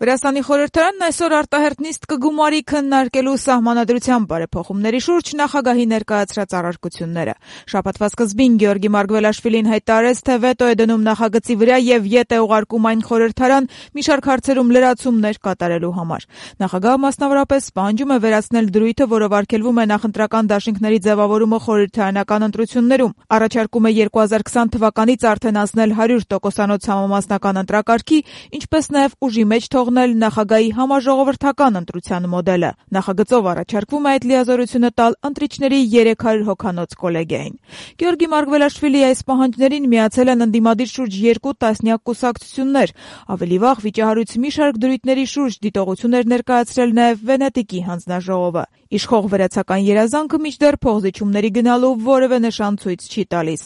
Վրաստանի խորհրդարանն այսօր արտահերթ նիստ կգումարի քննարկելու սահմանադրության բարեփոխումների շուրջ նախագահի ներկայացրած առարկությունները։ Շաբաթվա սկզբին Գեորգի Մարգվելաշվիլին հայտարարեց, թե վետո է դնում նախագծի վրա եւ ետ է ուղարկում այն խորհրդարան մի շարք հարցերում լրացումներ կատարելու համար։ Նախագահը մասնավորապես պահանջում է վերացնել դրույթը, որով արգելվում է նախընտրական դաշինքների ձևավորումը խորհրդարանական ընտրություններում։ Առաջարկում է 2020 թվականից արդեն անցնել 100% համամասնական ընտրակարգի, ինչպես նաեւ ուժի մեջ թողնել նախագահի համաժողովրդական ընտրության մոդելը։ Նախագծով առաջարկվում է այդ լիազորությունը տալ ընտրիչների 300 հոգանոց կոլեգիային։ Գեորգի Մարգվելաշվիլիի այս պահանջներին միացել են ընդդիմադիր շուրջ 2 տասնյակ կուսակցություններ։ Ավելի վաղ վիճահարույց մի շարք դրույթների շուրջ դիտողություն էր ներկայացրել նաև Վենետիկի հանձնաժողովը։ Իշխող վերացական երազանքը մինչդեռ փողզիչումների գնալու որևէ նշան ցույց չի տալիս։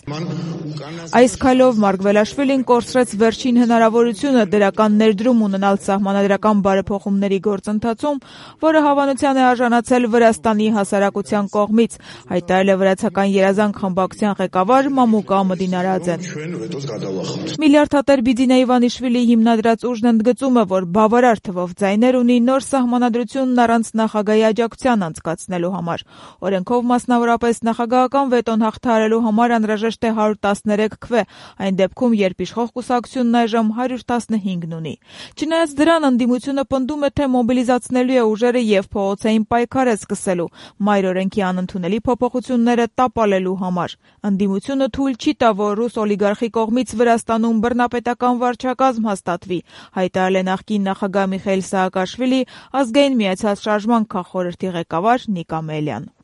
Այս քայլով Մարգվելաշվիլին կորցրեց վերջին հնարավորությունը դրական ներդրում ունենալ սահմանադրական բարեփոխումների գործընթացում, որը հավանության է արժանացել Վրաստանի հասարակության կողմից, հայտարարել է Վրացական երազանք խմբակցության ղեկավար Մամուկա Մդինարաձեն։ Միլիարդատեր Բիձինա Իվանիշվիլիի հիմնադրած ուժն ընդգծում է, որ բավարար թվով ձայներ ունի նոր սահմանադրությունն առանց նախագահի աջակցության անցկացնելու համար։ Օրենքով մասնավորապես նախագահական վետոն հաղթահարելու համար անհրաժեշտ է 113 քվե, այն դեպքում, երբ իշխող կուսակցությունն այժմ 115 ունի։ Չնայած դրան, ընդդիմությունը պնդում է, թե մոբիլիզացնելու է ուժերը եւ փողոցային պայքար է սկսելու մայր օրենքի անընդունելի փոփոխությունները տապալելու համար։ Ընդդիմությունը թույլ չի տա, որ ռուս օլիգարխի կողմից Վրաստանում բռնապետական վարչակազմ հաստատվի, հայտարարել է նախկին նախագահ Միխայիլ Սահակաշվիլի ազգային միացյալ շարժման քաղխորհրդի ղեկավար Նիկա Մելյան։